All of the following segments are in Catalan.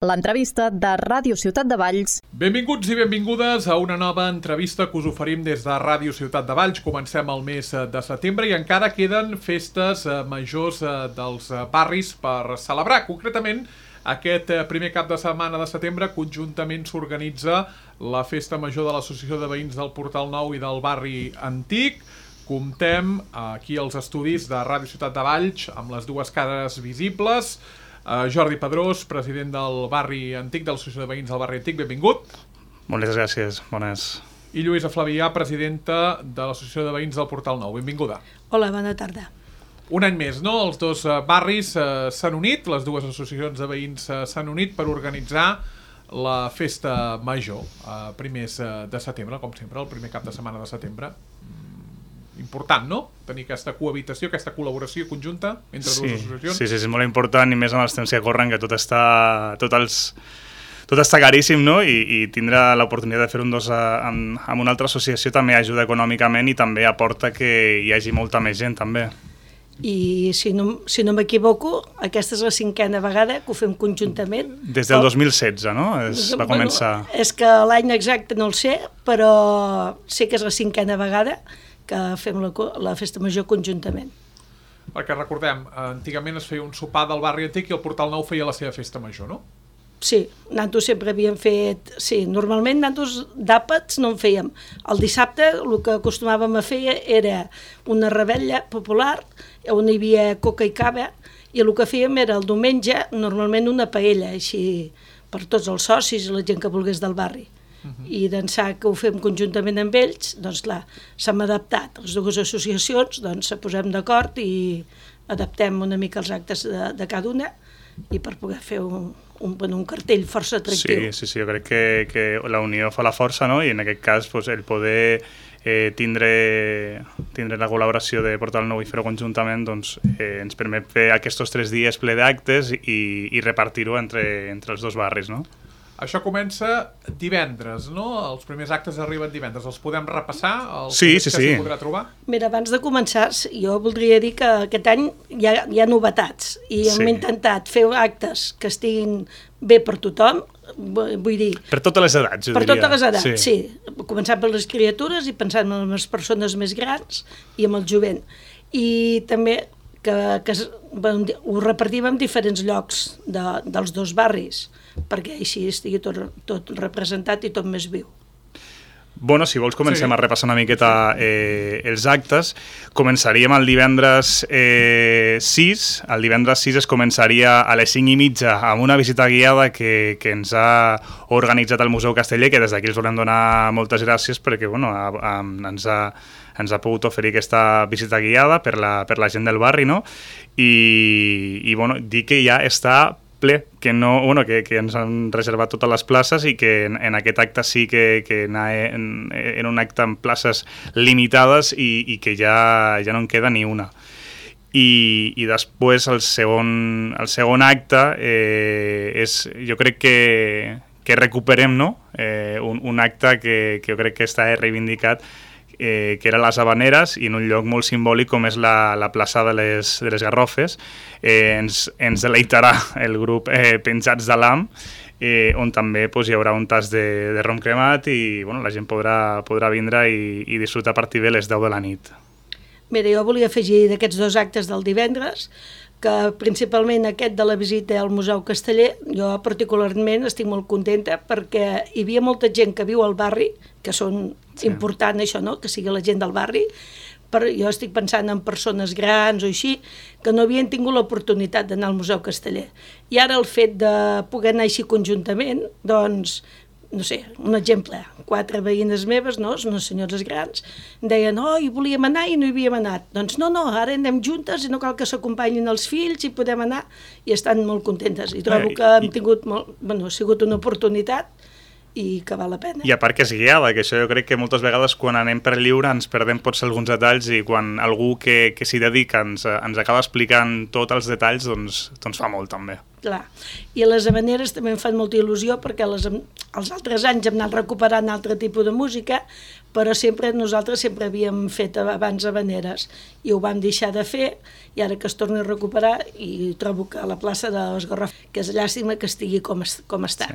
L'entrevista de Ràdio Ciutat de Valls. Benvinguts i benvingudes a una nova entrevista que us oferim des de Ràdio Ciutat de Valls. Comencem el mes de setembre i encara queden festes majors dels barris per celebrar. Concretament, aquest primer cap de setmana de setembre conjuntament s'organitza la Festa Major de l'Associació de Veïns del Portal Nou i del Barri Antic. Comptem aquí als estudis de Ràdio Ciutat de Valls amb les dues cares visibles. Jordi Pedrós, president del Barri Antic, de l'Associació de Veïns del Barri Antic, benvingut. Moltes gràcies, bones. I Lluïsa Flavià, presidenta de l'Associació de Veïns del Portal Nou, benvinguda. Hola, bona tarda. Un any més, no? Els dos barris s'han unit, les dues associacions de veïns s'han unit per organitzar la Festa Major, primers de setembre, com sempre, el primer cap de setmana de setembre. Important, no? Tenir aquesta cohabitació, aquesta col·laboració conjunta entre dues associacions. Sí, és molt important i més amb els temps que corren, que tot està caríssim, no? I tindre l'oportunitat de fer un dos amb una altra associació també ajuda econòmicament i també aporta que hi hagi molta més gent, també. I si no m'equivoco, aquesta és la 5a vegada que ho fem conjuntament. Des del 2016, no? Va començar. És que l'any exacte no el sé, però sé que és la 5a vegada que fem la Festa Major conjuntament. Perquè recordem, antigament es feia un sopar del Barri Antic i el Portal Nou feia la seva Festa Major, no? Sí, nosaltres sempre havíem fet... Sí, normalment nosaltres d'àpats no en fèiem. El dissabte el que acostumàvem a fer era una revetlla popular on hi havia coca i cava i el que fèiem era el diumenge normalment una paella, així per tots els socis i la gent que volgués del barri. I d'ençà que ho fem conjuntament amb ells, doncs clar, s'hem adaptat. Les dues associacions doncs se posem d'acord i adaptem una mica els actes de cada una i per poder fer un cartell força atractiu. Sí, jo crec que la unió fa la força, no? I en aquest cas el poder tindre la col·laboració de Portal Nou i fer-ho conjuntament doncs, ens permet fer aquests 3 dies ple d'actes i repartir-ho entre els dos barris, no? Això comença divendres, no? Els primers actes arriben divendres. Els podem repassar? Sí. Que s'hi podrà trobar? Mira, abans de començar, jo voldria dir que aquest any hi ha novetats i hem intentat fer actes que estiguin bé per tothom, vull dir... Per totes les edats, jo diria. Per totes les edats, sí. Començant per les criatures i pensant en les persones més grans i amb el jovent. I també que ho repartim en diferents llocs dels dos barris, perquè així estigui tot representat i tot més viu. Bueno, si vols comencem a repassar una miqueta els actes. Començaríem el divendres 6. El divendres 6 es començaria a les 5:30 amb una visita guiada que ens ha organitzat el Museu Casteller, que des d'aquí els volem donar moltes gràcies perquè ens ha pogut oferir aquesta visita guiada per la gent del barri, no? I dir que ja està ple, que ens han reservat totes les places i que en aquest acte sí que era un acte amb places limitades i que ja no en queda ni una. I després el segon acte jo crec que recuperem, no? Un acte que jo crec que està reivindicat, que era les Havaneres, i en un lloc molt simbòlic com és la plaça de les Garrofes. Ens deleitarà el grup Penjats de l'Am, on també hi haurà un tas de rom cremat i la gent podrà vindre i disfrutar a partir de les 10 de la nit. Mira, jo volia afegir d'aquests 2 actes del divendres que principalment aquest de la visita al Museu Casteller, jo particularment estic molt contenta perquè hi havia molta gent que viu al barri, que són important això, no?, que sigui la gent del barri, però jo estic pensant en persones grans o així, que no havien tingut l'oportunitat d'anar al Museu Casteller. I ara el fet de poder anar així conjuntament, doncs, no sé, un exemple, 4 veïnes meves, no?, unes senyores grans, deien, hi volíem anar i no hi havíem anat. Doncs no, ara anem juntes i no cal que s'acompanyin els fills i podem anar, i estan molt contentes. I trobo que hem tingut ha sigut una oportunitat i que val la pena. I a part que és guiada, que això jo crec que moltes vegades quan anem per lliure ens perdem potser alguns detalls i quan algú que s'hi dedica ens acaba explicant tots els detalls, doncs fa molt també. Clar. I les havaneres també em fan molta il·lusió perquè els altres anys hem anat recuperant altre tipus de música, però nosaltres sempre havíem fet abans havaneres i ho vam deixar de fer i ara que es torni a recuperar i trobo que la plaça de l'Esgarraf, que és llàstima que estigui com està,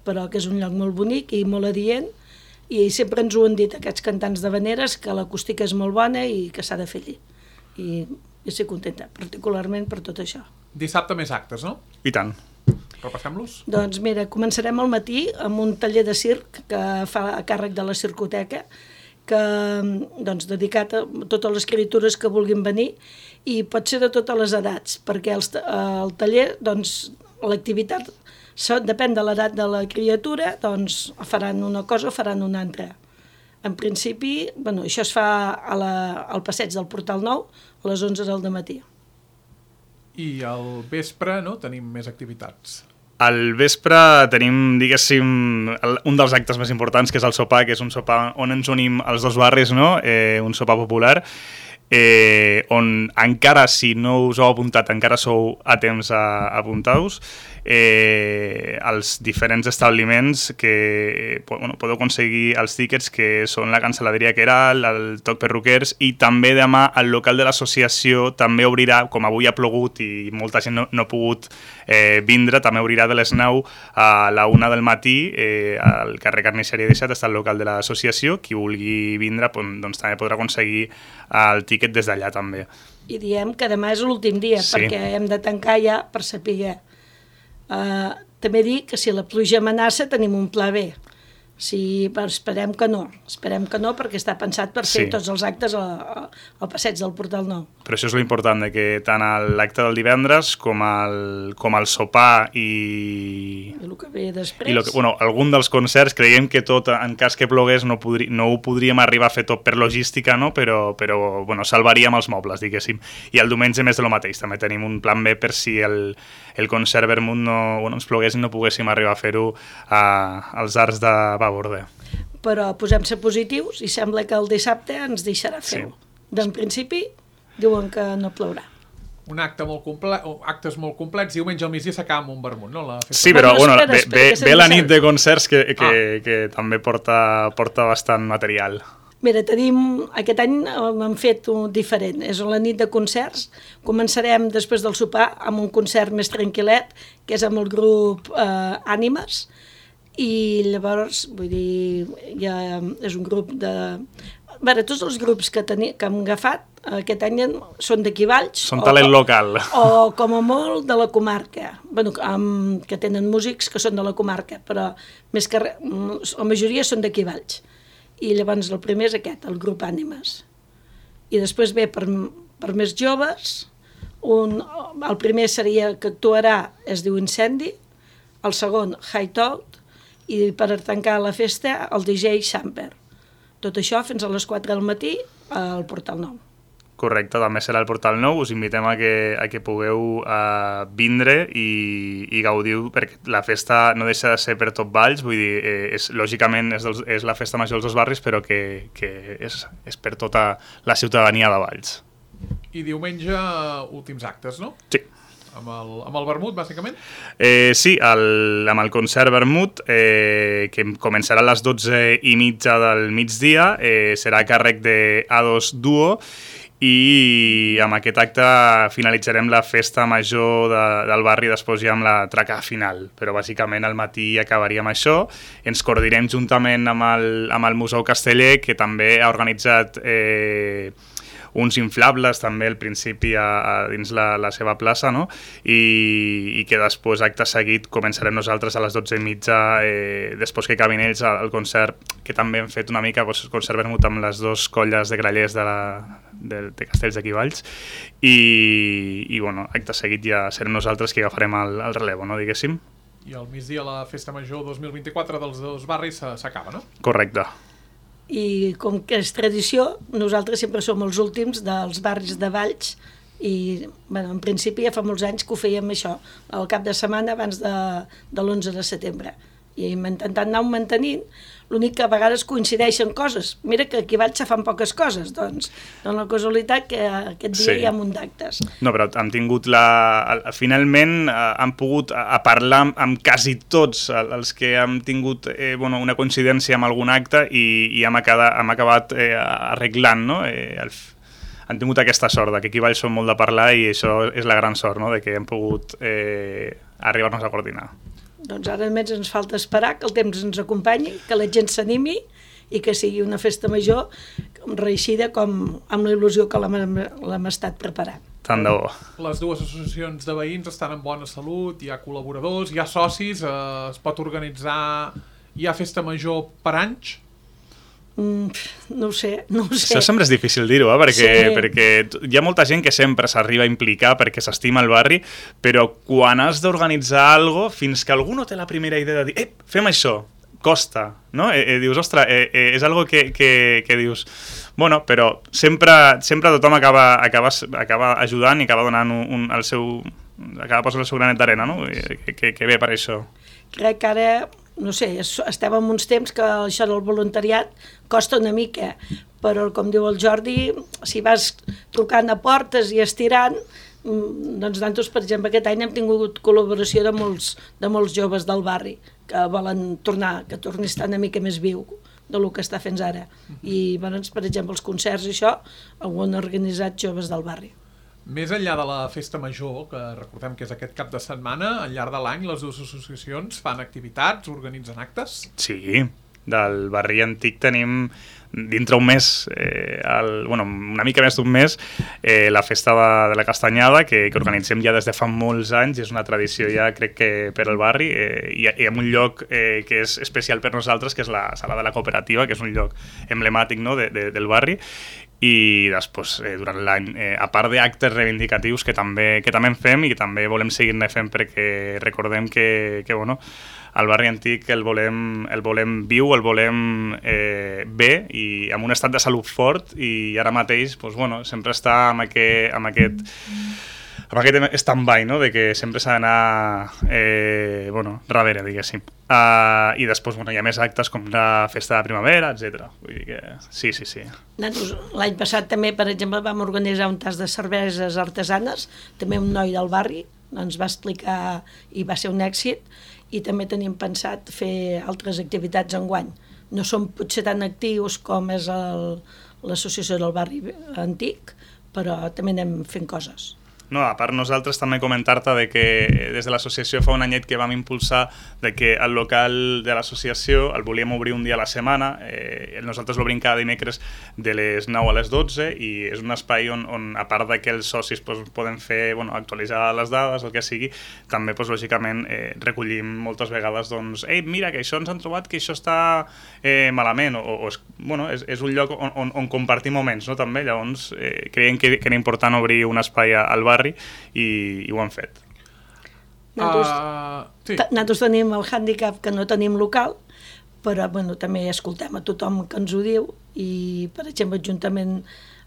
però que és un lloc molt bonic i molt adient i sempre ens ho han dit aquests cantants d'havaneres que l'acústica és molt bona i que s'ha de fer allí. I jo estic contenta, particularment per tot això. Dissabte més actes, no? I tant. Repassem-los? Doncs mira, començarem al matí amb un taller de circ que fa a càrrec de la Circoteca, que, doncs, dedicat a totes les criatures que vulguin venir i pot ser de totes les edats, perquè el taller, doncs, l'activitat depèn de l'edat de la criatura, doncs faran una cosa o faran una altra. En principi, això es fa al passeig del Portal Nou a les 11 del matí. I al vespre, no?, tenim més activitats. Al vespre tenim, diguéssim, un dels actes més importants, que és el sopar, que és un sopar on ens unim els dos barris, no? Un sopar popular, on encara, si no us heu apuntat, encara sou a temps a apuntar-vos, als diferents establiments que podeu aconseguir els tíquets, que són la Cancel·laderia Queralt, el Toc Perruquers, i també demà el local de l'associació també obrirà, com avui ha plogut i molta gent no ha pogut vindre, també obrirà de les 9 a la 1 del matí al carrer Carnisseria 17, està el local de l'associació, qui vulgui vindre doncs també podrà aconseguir el tíquet des d'allà també. I diem que demà és l'últim dia, perquè hem de tancar ja per saber. També dic que si la pluja amenaça tenim un pla B. Esperem que no, perquè està pensat per fer tots els actes al passeig del Portal Nou. Però això és l'important, que tant l'acte del divendres com el sopar i el que ve després, algun dels concerts, creiem que tot, en cas que plogués, no ho podríem arribar a fer tot per logística, no? però salvaríem els mobles, diguéssim. I el diumenge més de lo mateix, també tenim un plan B per si el concert Vermut ens plogués i no poguéssim arribar a fer-ho als arts de Borde. Però posem-se positius i sembla que el dissabte ens deixarà fer-ho. D'en principi diuen que no plourà. Un acte molt complet, actes molt complets, diumenge al migdia s'acaba amb un vermut, no? Sí, però ve la nit de concerts que també porta bastant material. Mira, aquest any hem fet un diferent, és la nit de concerts. Començarem després del sopar amb un concert més tranquil·let, que és amb el grup Ànimes, i llavors, vull dir, ja és un grup de... tots els grups que hem agafat aquest any són d'aquí Valls. Són talent local. O, com a molt, de la comarca. Que tenen músics que són de la comarca, però més que res, la majoria són d'aquí Valls. I llavors el primer és aquest, el grup Ànimes. I després ve per més joves, el primer seria que actuarà, es diu Incendi, el segon, Hideout, i per tancar la festa el DJ Samper. Tot això fins a les 4 del matí al Portal Nou. Correcte, també serà al Portal Nou. Us invitem a que pugueu vindre i gaudiu, perquè la festa no deixa de ser per tot Valls, vull dir, lògicament és la festa major dels dos barris, però que és per tota la ciutadania de Valls. I diumenge, últims actes, no? Sí. Amb el vermut, bàsicament? Sí, amb el concert vermut, que començarà a les 12:30 del migdia, serà a càrrec de A2 Duo, i amb aquest acte finalitzarem la festa major del barri, després ja amb la traca final, però bàsicament al matí acabaríem això. Ens coordinem juntament amb el Museu Casteller, que també ha organitzat uns inflables també al principi dins la seva plaça, no? I que després, acte seguit, començarem nosaltres a les 12:30, després que acabin ells el concert, que també hem fet una mica concert vermut amb les dues colles de grallers de Castells d'aquí Valls, i acte seguit ja serem nosaltres que agafarem el relevo, no, diguéssim. I al migdia la festa major 2024 dels dos barris s'acaba, no? Correcte. I com que és tradició, nosaltres sempre som els últims dels barris de Valls i en principi ja fa molts anys que ho fèiem això, al cap de setmana abans de l'11 de setembre. i hem intentat anar mantenint. L'únic que a vegades coincideixen coses. Mira que aquí vaig se fan poques coses, doncs dona la casualitat que aquest dia hi ha un munt d'actes. No, però hem tingut finalment hem pogut parlar amb quasi tots els que hem tingut una coincidència amb algun acte i hem acabat arreglant, no? Han tingut aquesta sort, que aquí Valls som molt de parlar i això és la gran sort, no? De que hem pogut arribar-nos a coordinar. Doncs ara només ens falta esperar que el temps ens acompanyi, que la gent s'animi i que sigui una festa major reeixida com amb la il·lusió que l'hem estat preparant. Tant de bo. Les dues associacions de veïns estan en bona salut, hi ha col·laboradors, hi ha socis, es pot organitzar... Hi ha festa major per anys? No ho sé. Això sempre és difícil dir-ho, perquè hi ha molta gent que sempre s'arriba a implicar perquè s'estima el barri, però quan has d'organitzar alguna cosa, fins que algú no té la primera idea de dir fem això, costa, no? Dius, ostres, és algo que dius... Bueno, però sempre tothom acaba ajudant i acaba donant acaba posant el seu granet d'arena, no? Que bé per això. Crec que ara... No sé, estem en uns temps que això del voluntariat costa una mica, però com diu el Jordi, si vas trucant a portes i estirant, doncs nosaltres, per exemple, aquest any hem tingut col·laboració de molts joves del barri que volen tornar, que torni a estar una mica més viu del que està fent ara. I, per exemple, els concerts i això, ho han organitzat joves del barri. Més enllà de la festa major, que recordem que és aquest cap de setmana, al llarg de l'any les dues associacions fan activitats, organitzen actes? Sí, del barri antic tenim dintre un mes, una mica més d'un mes, la festa de la Castanyada, que organitzem ja des de fa molts anys, és una tradició ja crec que per al barri, i en un lloc que és especial per nosaltres, que és la sala de la cooperativa, que és un lloc emblemàtic, no, del barri, i després, durant l'any, a part d'actes reivindicatius que també en fem i que també volem seguir-ne fent perquè recordem que el barri antic el volem viu, el volem bé i amb un estat de salut fort i ara mateix sempre està amb aquest stand-by, no? De que sempre s'ha d'anar darrere, diguéssim. I després hi ha més actes com la festa de primavera, etc. Vull dir que sí. L'any passat també, per exemple, vam organitzar un tas de cerveses artesanes, també un noi del barri ens va explicar i va ser un èxit, i també tenim pensat fer altres activitats enguany. No som potser tan actius com és l'associació del barri antic, però també anem fent coses. No, a part nosaltres també comentar-te de que des de l'associació fa un anyet que vam impulsar de que el local de l'associació el volíem obrir un dia a la setmana, nosaltres l'obrim cada dimecres de les 9 a les 12 i és un espai on a part que els socis poden fer, actualitzar les dades, el que sigui, també lògicament recollim moltes vegades mira que això ens han trobat que això està malament, és un lloc on compartir moments, no? També, llavors creiem que era important obrir un espai al barri i ho han fet. Nosaltres tenim el hàndicap que no tenim local, però també escoltem a tothom que ens ho diu i, per exemple, juntament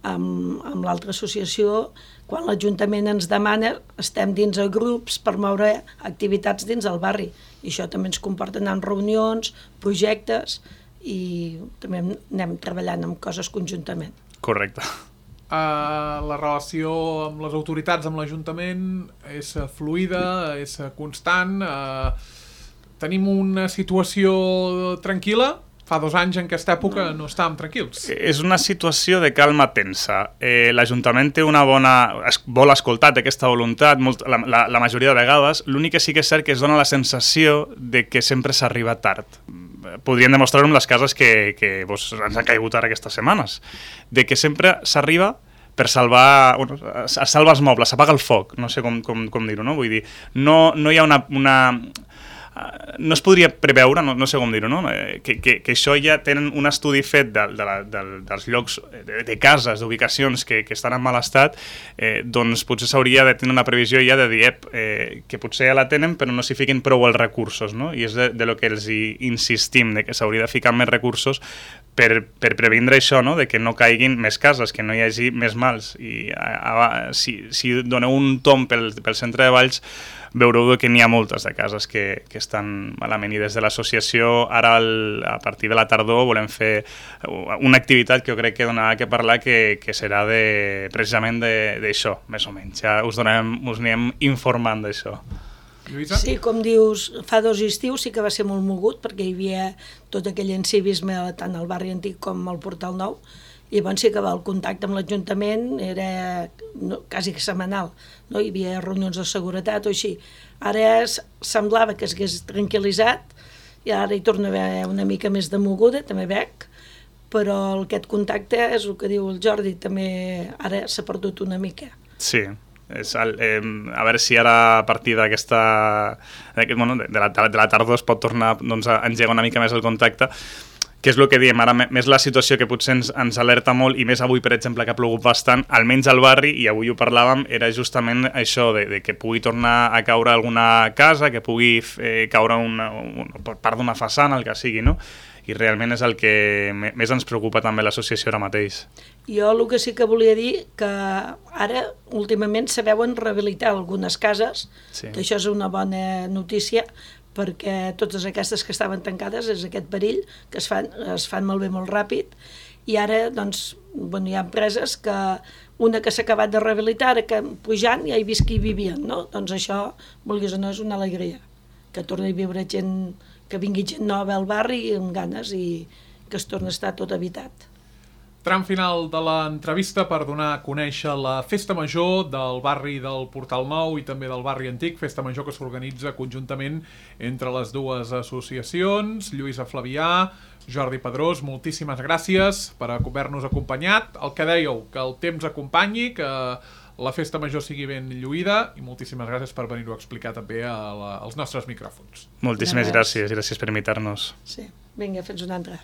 amb l'altra associació, quan l'Ajuntament ens demana, estem dins de grups per moure activitats dins del barri i això també ens comporta anar en reunions, projectes i també anem treballant en coses conjuntament. Correcte. La relació amb les autoritats, amb l'Ajuntament, és fluida, és constant. Tenim una situació tranquil·la? Fa 2 anys en aquesta època no estàvem tranquils. És una situació de calma tensa. L'Ajuntament té vol escoltar aquesta voluntat la majoria de vegades. L'únic que sí que és cert que es dona la sensació de que sempre s'arriba tard. Podríem demostrar-ho amb les cases que ens han caigut ara aquestes setmanes. De que sempre s'arriba per salvar els mobles, s'apaga el foc, no sé com dir-ho, no? Vull dir, no hi ha no es podria preveure, no sé com dir-ho, no? Que això ja tenen un estudi fet dels llocs de cases, d'ubicacions que estan en mal estat, doncs potser s'hauria de tenir una previsió ja de dir que potser ja la tenen però no s'hi fiquin prou els recursos, no? I és de lo que els insistim, de que s'hauria de ficar més recursos per previndre això, no? De que no caiguin més cases, que no hi hagi més mals. I si doneu un tomb pel centre de Valls, veureu que n'hi ha moltes de cases que estan malament, i des de l'associació ara a partir de la tardor volem fer una activitat que jo crec que donarà que parlar, que serà precisament d'això, més o menys. Ja us anirem informant d'això. Lluïsa? Sí, com dius, fa 2 estius sí que va ser molt mogut perquè hi havia tot aquell encivisme tant al barri antic com al Portal Nou, i llavors sí que el contacte amb l'Ajuntament era quasi setmanal, no? Hi havia reunions de seguretat o així. Ara semblava que s'hagués tranquil·litzat i ara hi torna a haver una mica més de moguda, també veig, però aquest contacte és el que diu el Jordi, també ara s'ha perdut una mica. Sí. A veure si ara a partir de la tardor es pot tornar a engegar una mica més el contacte, que és el que diem, ara més la situació que potser ens alerta molt, i més avui, per exemple, que ha plogut bastant, almenys al barri, i avui ho parlàvem, era justament això, de que pugui tornar a caure alguna casa, que pugui caure per part d'una façana, el que sigui, no? I realment és el que més ens preocupa també l'associació ara mateix. Jo el que sí que volia dir que ara últimament se veuen rehabilitar algunes cases, sí. Que això és una bona notícia, perquè totes aquestes que estaven tancades és aquest perill, que es fan malbé molt ràpid, i ara doncs, hi ha empreses que una que s'ha acabat de rehabilitar, ara que pujant ja he vist que hi vivien, no? Doncs això, vulguis o no, és una alegria, que torni a viure gent, que vingui gent nova al barri amb ganes i que es torni a estar tot habitat. Tram final de l'entrevista per donar a conèixer la Festa Major del barri del Portal Nou i també del barri Antic, Festa Major que s'organitza conjuntament entre les dues associacions. Lluïsa Flavià, Jordi Pedrós, moltíssimes gràcies per haver-nos acompanyat. El que dèieu, que el temps acompanyi, que la Festa Major sigui ben lluïda, i moltíssimes gràcies per venir-ho a explicar també als nostres micròfons. Moltíssimes gràcies per invitar-nos. Sí, vinga, fins una altra.